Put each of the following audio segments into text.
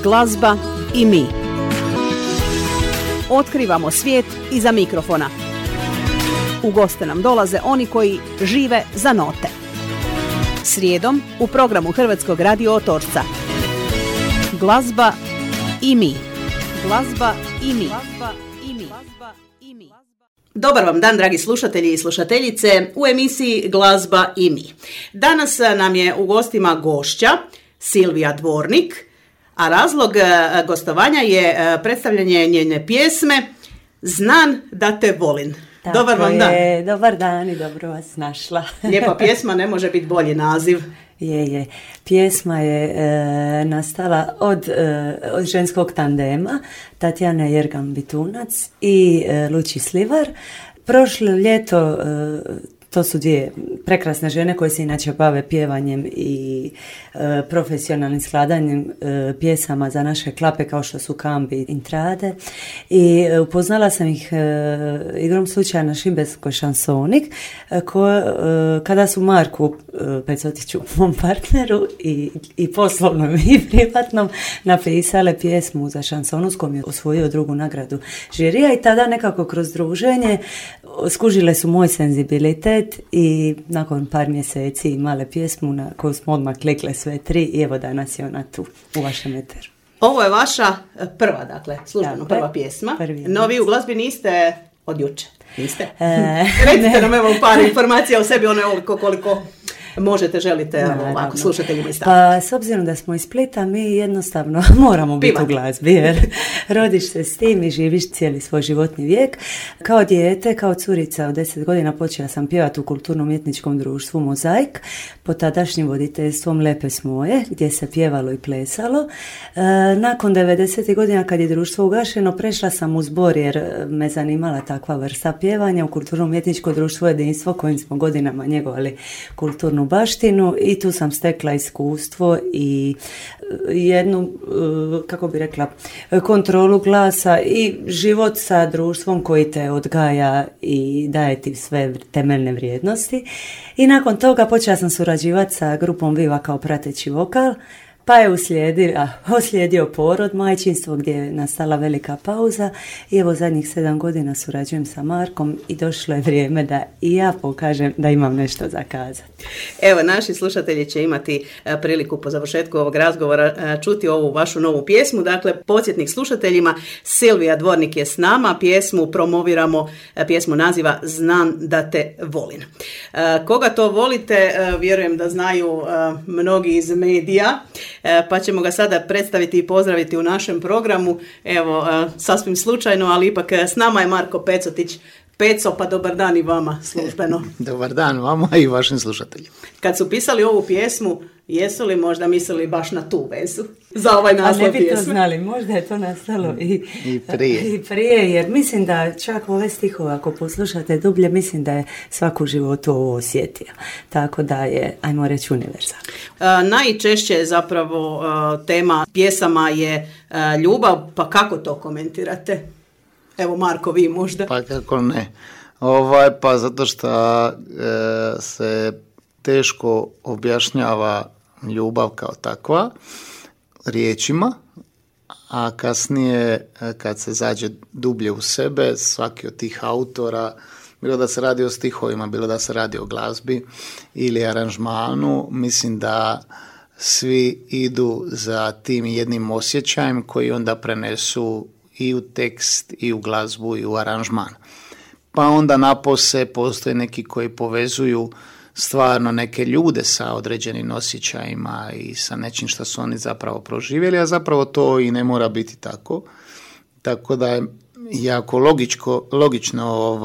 Glazba i mi. Otkrivamo svijet iza mikrofona. U goste nam dolaze oni koji žive za note. Srijedom u programu Hrvatskog radio Otočca. Glazba i mi. Glazba i mi. Dobar vam dan, dragi slušatelji i slušateljice, u emisiji Glazba i mi. Danas nam je u gostima gošća Silvija Dvornik, a razlog gostovanja je predstavljanje njene pjesme Znam da te volim. Tako dobar vam dan. Dobar dan i dobro vas našla. Lijepa pjesma, ne može biti bolji naziv. Je. Pjesma je nastala od ženskog tandema Tatjana Jergan-Bitunac i Luči Slivar. Prošlo ljeto, to su dvije prekrasne žene koje se inače bave pjevanjem i profesionalnim skladanjem pjesama za naše klape kao što su Kambi i Intrade. I upoznala sam ih igrom slučaja na Šibenskoj šansonik kada su Marku Pecotiću, mom partneru i poslovnom i privatnom, napisale pjesmu za šansonu s kojom je osvojio drugu nagradu žirija i tada nekako kroz druženje skužile su moj senzibilitet i nakon par mjeseci imale pjesmu na koju smo odmah klikle sve tri i evo danas je ona tu u vašem eteru. Ovo je vaša prva, dakle, službeno prva pjesma. No vi u glazbi niste od juče. Niste? Recite nam evo par informacija o sebi, ono koliko možete, želite ovako slušateljima iz Pa s obzirom da smo iz Splita, mi jednostavno moramo biti u glazbi, jer rodiš se s tim i živiš cijeli svoj životni vijek. Kao dijete, kao curica od 10 godina počela sam pjevati u kulturno-umjetničkom društvu Mozaik pod tadašnjim voditeljstvom Lepe Smoje, gdje se pjevalo i plesalo. Nakon 90. godina kad je društvo ugašeno, prešla sam u zbor jer me zanimala takva vrsta pjevanja u kulturno-umjetničko društvo Jedinstvo kojim smo godinama njegovali kulturnu baštinu i tu sam stekla iskustvo i jednu, kako bi rekla, kontrolu glasa i život sa društvom koji te odgaja i daje ti sve temeljne vrijednosti. I nakon toga počela sam surađivati sa grupom Viva kao prateći vokal, pa je uslijedio porod, majčinstvo gdje je nastala velika pauza i evo zadnjih 7 godina surađujem sa Markom i došlo je vrijeme da i ja pokažem da imam nešto za kazati. Evo, naši slušatelji će imati priliku po završetku ovog razgovora čuti ovu vašu novu pjesmu. Dakle, podsjetnik slušateljima, Silvija Dvornik je s nama, pjesmu promoviramo, pjesmu naziva Znam da te volim. Koga to volite, vjerujem da znaju mnogi iz medija, pa ćemo ga sada predstaviti i pozdraviti u našem programu. Evo, sasvim slučajno, ali ipak s nama je Marko Pecotić. Peco, pa dobar dan i vama službeno. Dobar dan vama i vašim slušateljima. Kad su pisali ovu pjesmu, jesu li možda mislili baš na tu vezu za ovaj naslov pjesme? A ne bi to znali, možda je to nastalo i prije, jer mislim da čak ove stihove, ako poslušate dublje, mislim da je svako u životu ovo osjetio. Tako da je, ajmo reći, univerzalno. Najčešće zapravo tema pjesama je ljubav, pa kako to komentirate? Evo, Marko, vi možda. Pa kako ne. Pa zato što se teško objašnjava ljubav kao takva riječima, a kasnije kad se zađe dublje u sebe, svaki od tih autora, bilo da se radi o stihovima, bilo da se radi o glazbi ili aranžmanu, mislim da svi idu za tim jednim osjećajem koji onda prenesu i u tekst, i u glazbu, i u aranžman. Pa onda napose postoje neki koji povezuju stvarno neke ljude sa određenim osjećajima i sa nečim što su oni zapravo proživjeli, a zapravo to i ne mora biti tako. Tako da je jako logično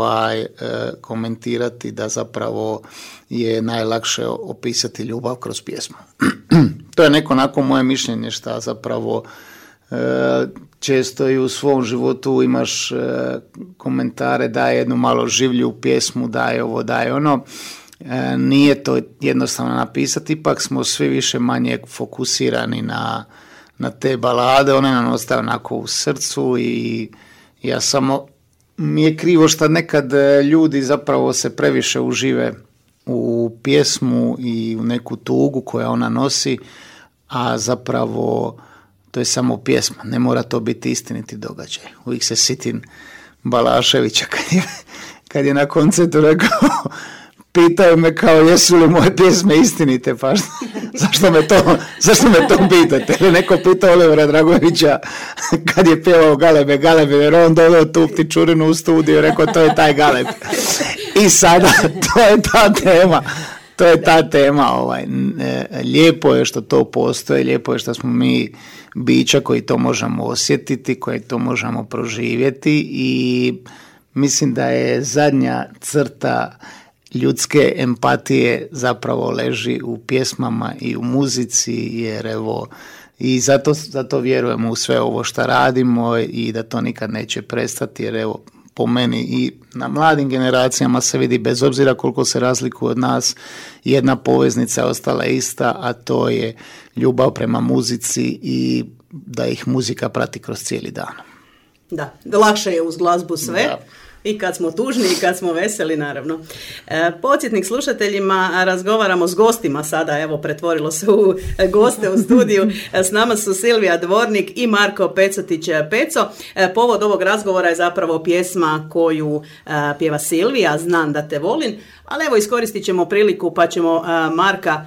komentirati da zapravo je najlakše opisati ljubav kroz pjesmu. To je neko onako moje mišljenje što zapravo često i u svom životu imaš komentare da je jednu malo življu pjesmu, da je ovo, da je ono. Nije to jednostavno napisati, ipak smo svi više manje fokusirani na te balade, one nam ostaju onako u srcu i ja samo, mi je krivo što nekad ljudi zapravo se previše užive u pjesmu i u neku tugu koja ona nosi, a zapravo to je samo pjesma, ne mora to biti istiniti događaj. Uvijek se sitim Balaševića kad je na koncertu rekao, pitaju me kao jesu li moje pjesme istinite, pa zašto me to pitate? Ili neko pitao Olivera Dragovića kad je pjevao Galebe, jer on doveo tu ptičurinu u studiju i rekao to je taj Galeb. I sada to je ta tema. Lijepo je što to postoji, lijepo je što smo mi bića koji to možemo osjetiti, koji to možemo proživjeti i mislim da je zadnja crta ljudske empatije zapravo leži u pjesmama i u muzici, jer evo, i zato vjerujemo u sve ovo što radimo i da to nikad neće prestati, jer evo, po meni i na mladim generacijama se vidi, bez obzira koliko se razlikuje od nas, jedna poveznica je ostala ista, a to je ljubav prema muzici i da ih muzika prati kroz cijeli dan. Da, lakše je uz glazbu sve. Da. I kad smo tužni i kad smo veseli, naravno. Podsjetnik slušateljima, razgovaramo s gostima sada, evo pretvorilo se u goste u studiju. S nama su Silvija Dvornik i Marko Pecotić Peco. Povod ovog razgovora je zapravo pjesma koju pjeva Silvija, Znam da te volim. Ali evo, iskoristit ćemo priliku pa ćemo Marka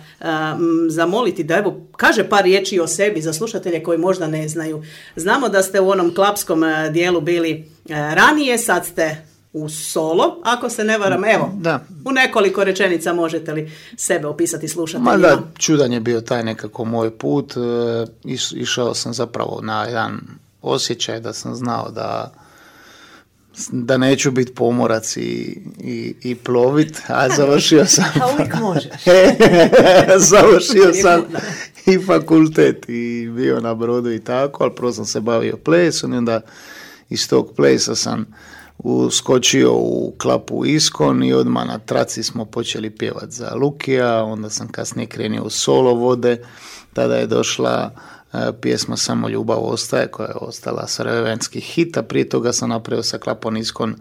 zamoliti da evo kaže par riječi o sebi za slušatelje koji možda ne znaju. Znamo da ste u onom klapskom dijelu bili ranije, sad ste u solo, ako se ne varam. Evo, da. U nekoliko rečenica možete li sebe opisati slušateljima? Da, čudan je bio taj nekako moj put. Išao sam zapravo na jedan osjećaj da sam znao da neću biti pomorac i plovit, a završio sam... A uvijek možeš. Završio sam i fakultet i bio na brodu i tako, ali prvo sam se bavio plesom i onda iz tog plesa sam uskočio u klapu Iskon i odmah na traci smo počeli pjevati za Lukija, onda sam kasnije krenio u solo vode, tada je došla pjesma Samo ljubav ostaje, koja je ostala sarajevanski hit, a prije toga sam napravio sa klapom Iskon,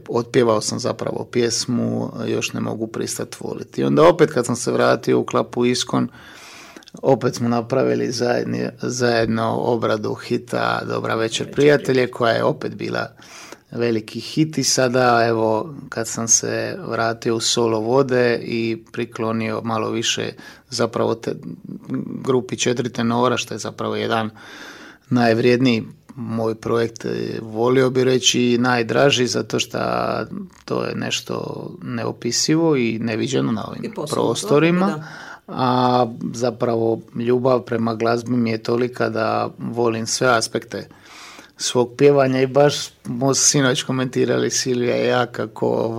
otpjevao sam zapravo pjesmu Još ne mogu pristati voliti. I onda opet kad sam se vratio u klapu Iskon, opet smo napravili zajedno obradu hita Dobra večer prijatelje, koja je opet bila veliki hit i sada evo kad sam se vratio u solo vode i priklonio malo više zapravo grupi 4 tenora, što je zapravo jedan najvrijedniji moj projekt, volio bi reći najdraži, zato što to je nešto neopisivo i neviđeno na ovim prostorima. Da. A zapravo ljubav prema glazbi mi je tolika da volim sve aspekte svog pjevanja i baš smo sinoć komentirali Silvija i ja kako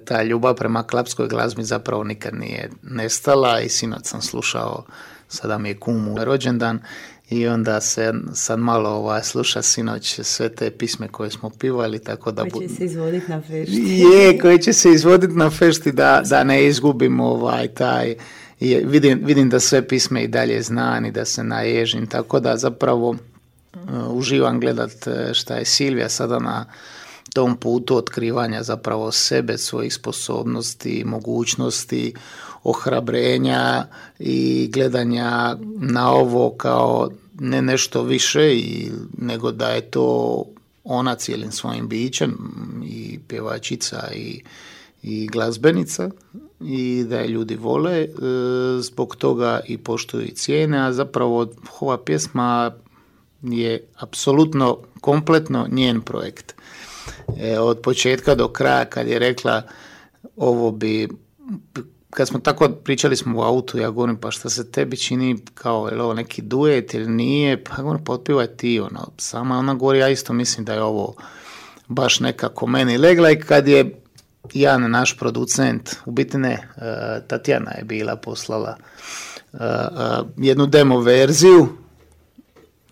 ta ljubav prema klapskoj glazbi zapravo nikad nije nestala i sinoć sam slušao, sada mi je kumu rođendan i onda se sad malo sluša sinoć sve te pisme koje smo pivali, tako da... Koji će se izvoditi na fešti. Koji će se izvoditi na fešti da ne izgubimo taj... Vidim da sve pisme i dalje znam i da se naježim, tako da zapravo uživam gledat šta je Silvija sada na tom putu otkrivanja zapravo sebe, svojih sposobnosti, mogućnosti, ohrabrenja i gledanja na ovo kao ne nešto više nego da je to ona cijelim svojim bićem i pjevačica i glazbenica i da je ljudi vole, zbog toga i poštuju i cijene, a zapravo ova pjesma je apsolutno kompletno njen projekt. Od početka do kraja kad je rekla ovo bi, kad smo tako pričali smo u autu, ja govorim pa šta se tebi čini kao je li ovo neki duet ili nije, pa govorim pa otpivaj ti sama ona govori, ja isto mislim da je ovo baš nekako meni legla i kad je Jan, naš producent, u biti ne, Tatjana je bila poslala jednu demo verziju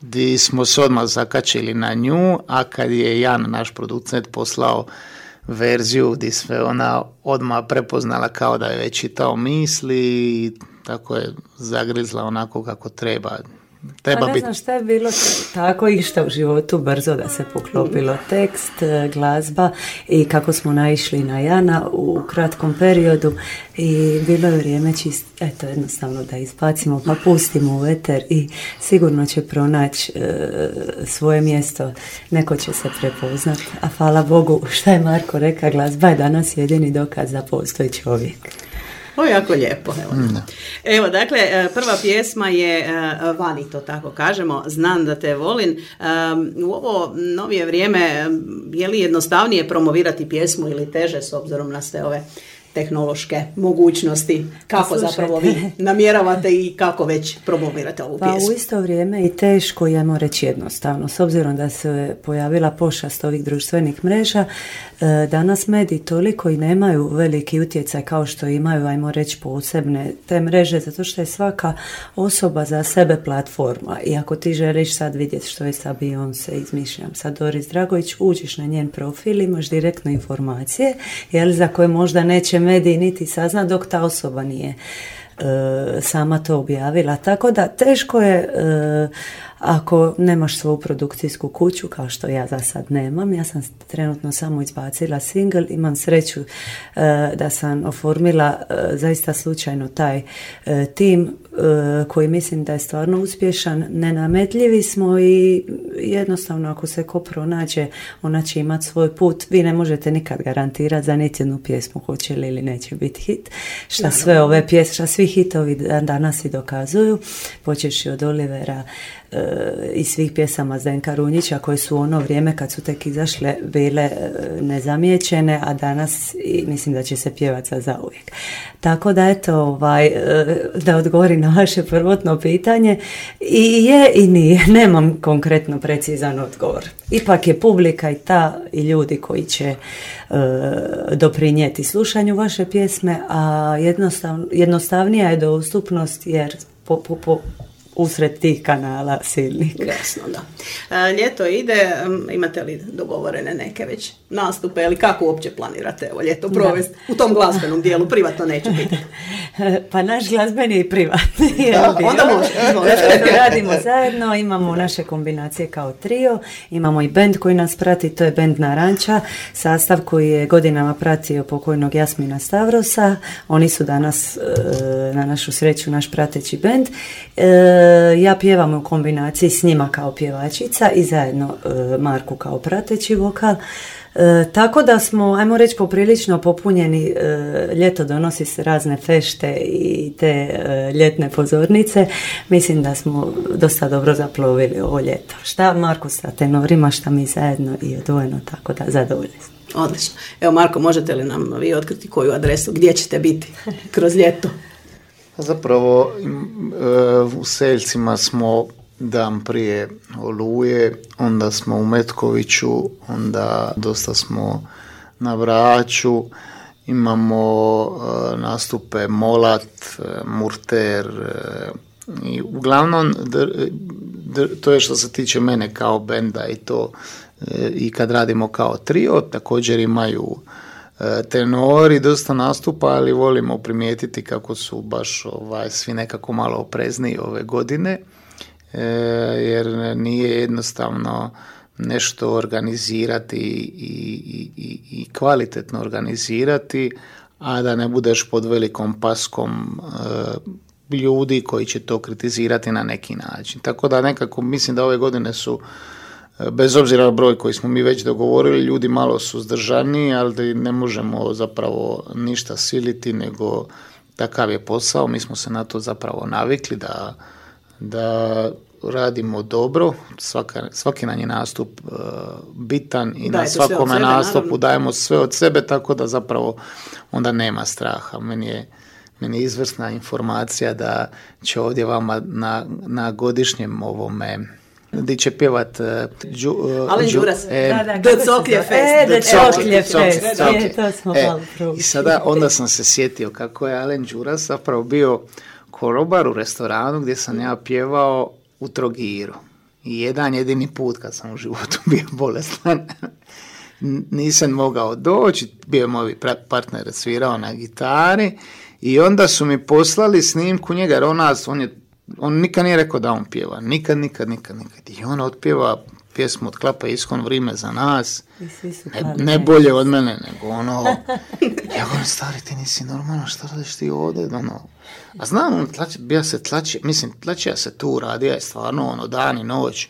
gdje smo se odmah zakačili na nju, a kad je Jan, naš producent, poslao verziju gdje sve ona odmah prepoznala kao da je već čitao misli i tako je zagrizla onako kako treba. treba biti. Ne znam šta je bilo tako išta u životu brzo da se poklopilo tekst, glazba i kako smo naišli na Jana u kratkom periodu i bilo je vrijeme jednostavno da izbacimo pa pustimo u eter i sigurno će pronaći svoje mjesto, neko će se prepoznat, a hvala Bogu šta je Marko rekao, glazba je danas jedini dokaz da postoji čovjek. To je jako lijepo. Evo, dakle, prva pjesma je Vani, to tako kažemo, Znam da te volim. U ovo novije vrijeme je li jednostavnije promovirati pjesmu ili teže s obzirom na sve ove tehnološke mogućnosti? Kako zapravo vi namjeravate i kako već promovirate ovu pjesmu? Pa u isto vrijeme i teško, ajmo reći jednostavno. S obzirom da se pojavila pošast ovih društvenih mreža, danas mediji toliko i nemaju veliki utjecaj kao što imaju, ajmo reći, posebne te mreže, zato što je svaka osoba za sebe platforma. I ako ti želiš sad vidjeti što je sa Beyoncé, izmišljam sad Doris Dragović, uđiš na njen profil, imaš direktno informacije, za koje možda neće mediji niti sazna dok ta osoba nije sama to objavila. Tako da teško je ako nemaš svoju produkcijsku kuću, kao što ja za sad nemam. Ja sam trenutno samo izbacila single, imam sreću da sam oformila zaista slučajno taj tim koji mislim da je stvarno uspješan. Nenametljivi smo i jednostavno ako se ko pronađe, ona će imati svoj put. Vi ne možete nikad garantirati za niti jednu pjesmu hoće li ili neće biti hit. Šta sve ove pjesme, šta svi hitovi danas i dokazuju, počeši od Olivera i svih pjesama Zdenka Runjića koje su u ono vrijeme kad su tek izašle bile nezamijećene, a danas mislim da će se pjevati za zauvijek. Tako da eto, da odgovori na vaše prvotno pitanje, i je i nije, nemam konkretno precizan odgovor. Ipak je publika i ta i ljudi koji će doprinijeti slušanju vaše pjesme, a jednostavnija je dostupnost jer usred tih kanala silnih. Jasno, da. Ljeto ide, imate li dogovorene neke već nastupe ili kako uopće planirate ovo ljeto provesti u tom glazbenom dijelu, privatno neće biti? Pa naš glazbeni je i privatni. Onda može. Radimo zajedno, imamo naše kombinacije kao trio, imamo i bend koji nas prati, to je bend Naranča, sastav koji je godinama pratio pokojnog Jasmina Stavrosa, oni su danas na našu sreću naš prateći bend. Ja pjevam u kombinaciji s njima kao pjevačica i zajedno Marku kao prateći vokal. Tako da smo, ajmo reći, poprilično popunjeni. Ljeto donosi se razne fešte i te ljetne pozornice. Mislim da smo dosta dobro zaplovili ovo ljeto. Šta Marko sa tenorima, šta mi zajedno i odvojeno, tako da zadovoljni smo. Odlično. Evo Marko, možete li nam vi otkriti koju adresu, gdje ćete biti kroz ljeto? Zapravo u Seljcima smo dan prije Oluje, onda smo u Metkoviću, onda dosta smo na Braču, imamo nastupe Molat, Murter i uglavnom to je što se tiče mene kao benda i to i kad radimo kao trio, također imaju tenori dosta nastupa, ali volimo primijetiti kako su baš svi nekako malo oprezniji ove godine, jer nije jednostavno nešto organizirati i kvalitetno organizirati, a da ne budeš pod velikom paskom ljudi koji će to kritizirati na neki način. Tako da nekako mislim da ove godine su, bez obzira na broj koji smo mi već dogovorili, ljudi malo suzdržani, ali ne možemo zapravo ništa siliti, nego takav je posao. Mi smo se na to zapravo navikli da radimo dobro, svaki nam je nastup bitan i na svakome nastupu dajemo sve od sebe, tako da zapravo onda nema straha. Meni je izvrsna informacija da će ovdje vama na godišnjem ovome gdje će pjevat Alen Đuras, The Coklje Fest. I sada onda sam se sjetio kako je Alen Đuras zapravo bio korobar u restoranu gdje sam ja pjevao u Trogiru. I jedan jedini put kad sam u životu bio bolestan, nisam mogao doći, bio moj partner svirao na gitari i onda su mi poslali snimku njega, jer on je on nikad nije rekao da on pjeva, nikad. I on otpjeva pjesmu od Klapa Iskon, Vrime za nas, ne bolje od mene, nego ono, ja govorim, stari, ti nisi normalno, šta radiš ti ovdje, ono, a znam, on tlačija se tu, radija je stvarno, ono, dan i noć.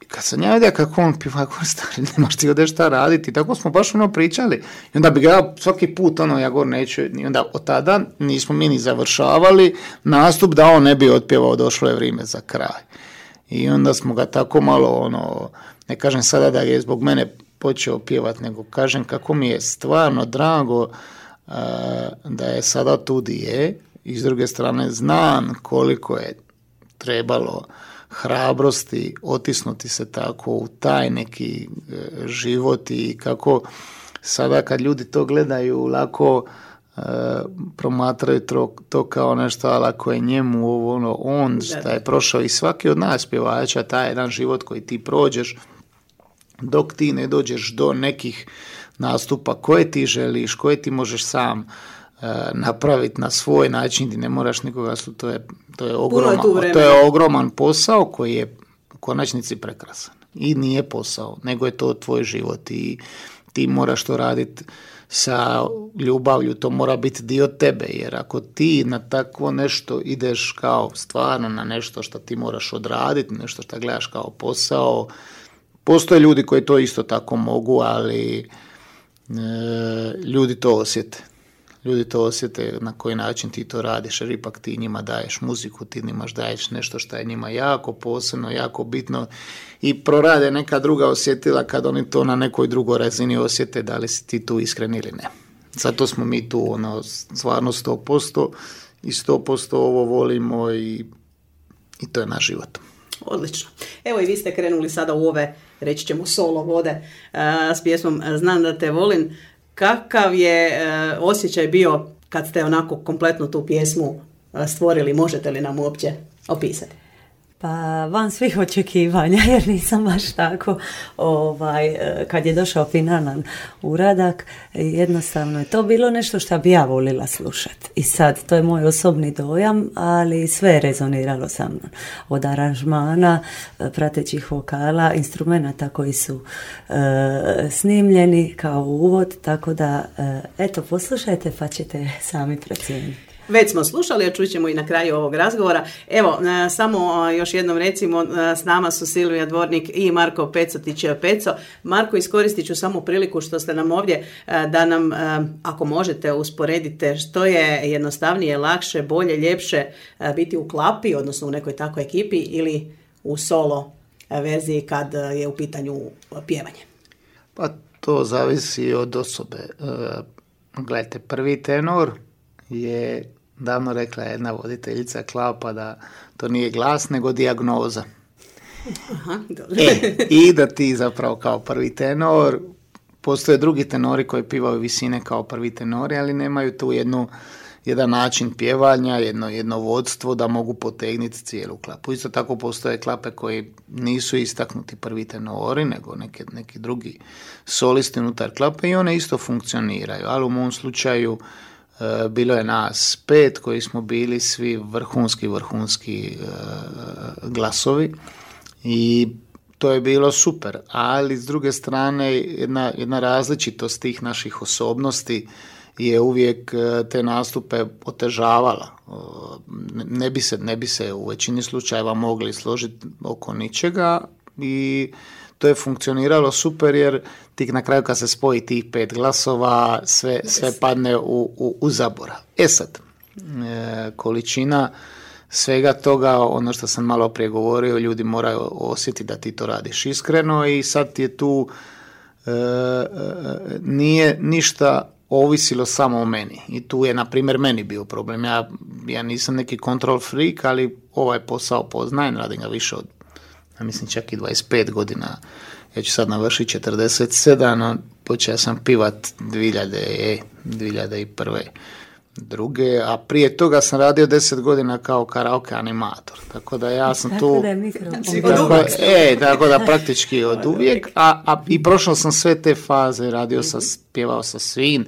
Kad sam ja vidio kako on pjeva, kako stari, nemaš ti ovdje šta raditi, tako smo baš ono pričali. I onda bi ga svaki put, ono, ja govorim, neću, i onda od tada nismo mi ni završavali nastup da on ne bi otpjevao, došlo je vrijeme za kraj. I onda smo ga tako malo, ono, ne kažem sada da je zbog mene počeo pjevati, nego kažem kako mi je stvarno drago da je sada tu di je. I s druge strane znam koliko je trebalo hrabrosti otisnuti se tako u taj neki život i kako sada kad ljudi to gledaju lako promatraju to kao nešto, ali ako je njemu on šta je prošao i svaki od nas pjevača, taj jedan život koji ti prođeš dok ti ne dođeš do nekih nastupa koje ti želiš, koje ti možeš sam napraviti na svoj način, ti ne moraš nikoga, to je ogroman posao koji je u konačnici prekrasan i nije posao, nego je to tvoj život i ti moraš to raditi sa ljubavlju, to mora biti dio tebe, jer ako ti na takvo nešto ideš kao stvarno na nešto što ti moraš odraditi, nešto što gledaš kao posao, postoje ljudi koji to isto tako mogu, ali ljudi to osjete. Ljudi to osjete na koji način ti to radiš, jer ipak ti njima daješ muziku, ti njima daješ nešto što je njima jako posebno, jako bitno i prorade neka druga osjetila kad oni to na nekoj drugoj razini osjete, da li si ti tu iskren ili ne. Zato smo mi tu stvarno 100% i 100% ovo volimo i to je naš život. Odlično. Evo i vi ste krenuli sada u ove, reći ćemo, solo vode s pjesmom Znam da te volim. Kakav je osjećaj bio kad ste onako kompletno tu pjesmu stvorili? Možete li nam uopće opisati? Pa van svih očekivanja, jer nisam baš tako, kad je došao finalan uradak, jednostavno je to bilo nešto što bi ja volila slušati. I sad, to je moj osobni dojam, ali sve je rezoniralo sa mnom. Od aranžmana, pratećih vokala, instrumenata koji su snimljeni kao uvod, tako da, eto, poslušajte pa ćete sami procijeniti. Već smo slušali, a čućemo i na kraju ovog razgovora. Evo, samo još jednom recimo, s nama su Silvija Dvornik i Marko Peco. Marko, iskoristit ću samo priliku što ste nam ovdje, da nam, ako možete, usporedite što je jednostavnije, lakše, bolje, ljepše biti u klapi, odnosno u nekoj takvoj ekipi, ili u solo verziji kad je u pitanju pjevanje. Pa to zavisi od osobe. Gledajte, prvi tenor je davno rekla jedna voditeljica Klapa da to nije glas nego dijagnoza. Aha, dobro. I da ti zapravo kao prvi tenor, postoje drugi tenori koji pivaju visine kao prvi tenori, ali nemaju tu jedan način pjevanja, jedno vodstvo da mogu potegnuti cijelu klapu. Isto tako postoje klape koji nisu istaknuti prvi tenori, nego neki drugi solisti unutar klape i one isto funkcioniraju, ali u mom slučaju bilo je nas 5 koji smo bili svi vrhunski glasovi i to je bilo super, ali s druge strane jedna različitost tih naših osobnosti je uvijek te nastupe otežavala. Ne bi se u većini slučajeva mogli složiti oko ničega i to je funkcioniralo super jer ti na kraju kad se spoji tih 5 glasova sve padne u zaborav. Sad, količina svega toga, ono što sam malo prije govorio, ljudi moraju osjetiti da ti to radiš iskreno i sad ti je tu nije ništa ovisilo samo o meni. I tu je, na primjer, meni bio problem. Ja nisam neki control freak, ali ovaj posao poznajem, radim ga više od, mislim, čak i 25 godina. Ja ću sad navršiti 47, počeo sam pivat 2001. Druge, a prije toga sam radio 10 godina kao karaoke animator. Tako da ja sam tu... Tako da praktički od uvijek. I prošao sam sve te faze, pjevao sa svim,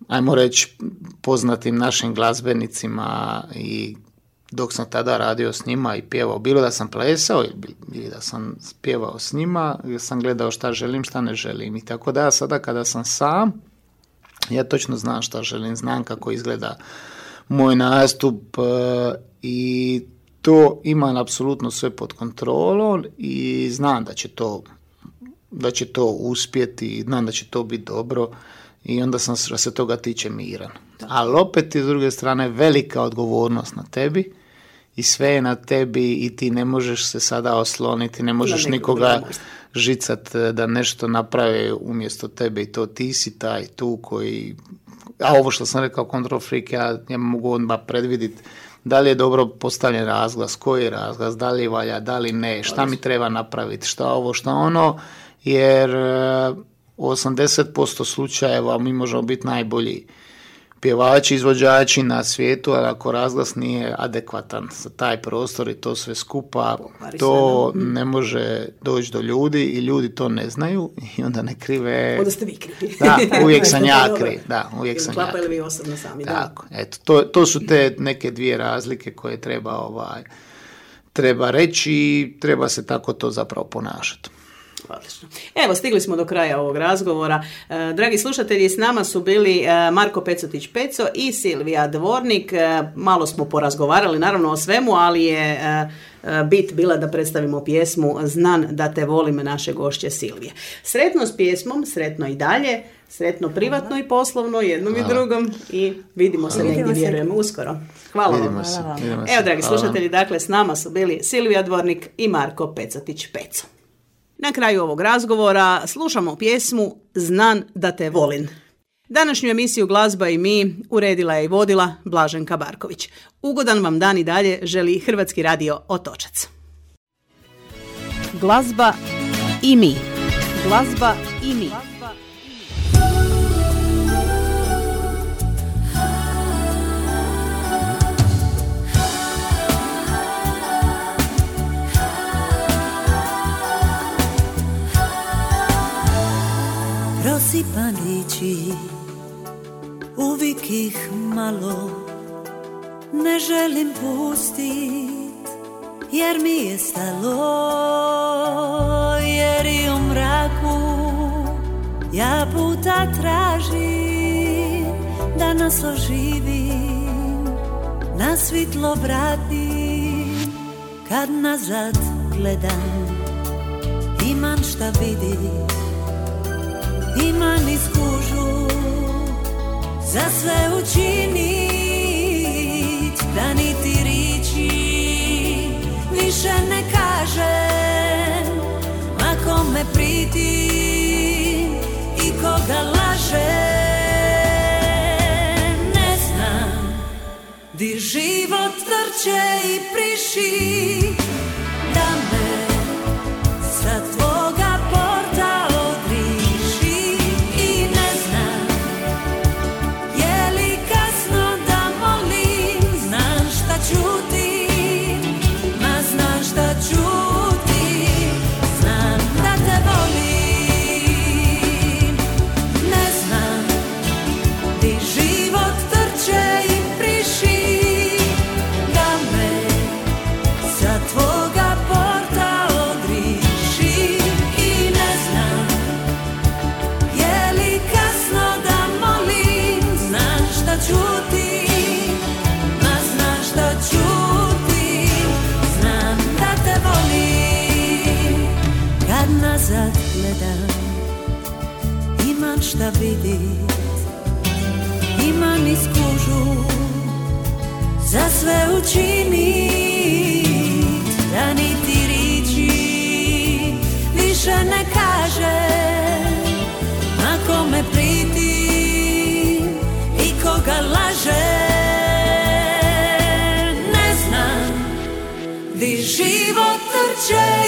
ajmo reći, poznatim našim glazbenicima i dok sam tada radio s njima i pjevao, bilo da sam plesao ili da sam pjevao s njima, sam gledao šta želim, šta ne želim. I tako da sada kada sam sam, ja točno znam šta želim, znam kako izgleda moj nastup i to imam apsolutno sve pod kontrolom i znam da će to uspjeti i znam da će to biti dobro i onda sam što se toga tiče miran. Ali opet s druge strane velika odgovornost na tebi i sve je na tebi i ti ne možeš se sada osloniti, ne možeš nikoga žicat da nešto naprave umjesto tebe i to ti si taj tu koji, a ovo što sam rekao control freak, ja mogu odmah predvidjeti da li je dobro postavljen razglas, koji je razglas, da li valja, da li ne, šta mi treba napraviti, šta ovo, šta ono, jer u 80% slučajeva mi možemo biti najbolji pjevači, izvođači na svijetu, ali ako razglas nije adekvatan za taj prostor i to sve skupa, to ne može doći do ljudi i ljudi to ne znaju i onda ne krive. Onda ste vi krivi. Da, uvijek sam ja kriv. Da, uvijek sam ja kriv. Vi osobno sami. Tako, eto, to su te neke dvije razlike koje treba reći i treba se tako to zapravo ponašati. Odlično. Evo, stigli smo do kraja ovog razgovora. Dragi slušatelji, s nama su bili Marko Pecetić-Peco i Silvija Dvornik. Malo smo porazgovarali, naravno o svemu, ali je bit bila da predstavimo pjesmu Znan da te volim naše gošće Silvije. Sretno s pjesmom, sretno i dalje, sretno privatno i poslovno, jednom i drugom i vidimo se negdje, vjerujemo, uskoro. Hvala vam. Evo, dragi slušatelji, dakle, s nama su bili Silvija Dvornik i Marko Pecetić-Peco. Na kraju ovog razgovora slušamo pjesmu Znan da te volim. Današnju emisiju Glazba i mi uredila je i vodila Blaženka Barković. Ugodan vam dan i dalje želi Hrvatski radio Otočac. Glazba i mi. Glazba i mi. Prosipan liči, uvijek ih malo ne želim pustit, jer mi je stalo, jer i u mraku ja puta tražim da nas oživim, na svitlo vratim, kad nazad gledam, imam šta vidim. Imam iskužu za sve učinit, da niti riči više ne kažem, ma kome pritim i koga lažem. Ne znam di život trče i priši, da me sa tvoga porta nazad gledam, imam šta vidit, imam iskužu za sve učinit, da niti riči više ne kažem, na kome pritim i koga lažem. Ne znam di život trče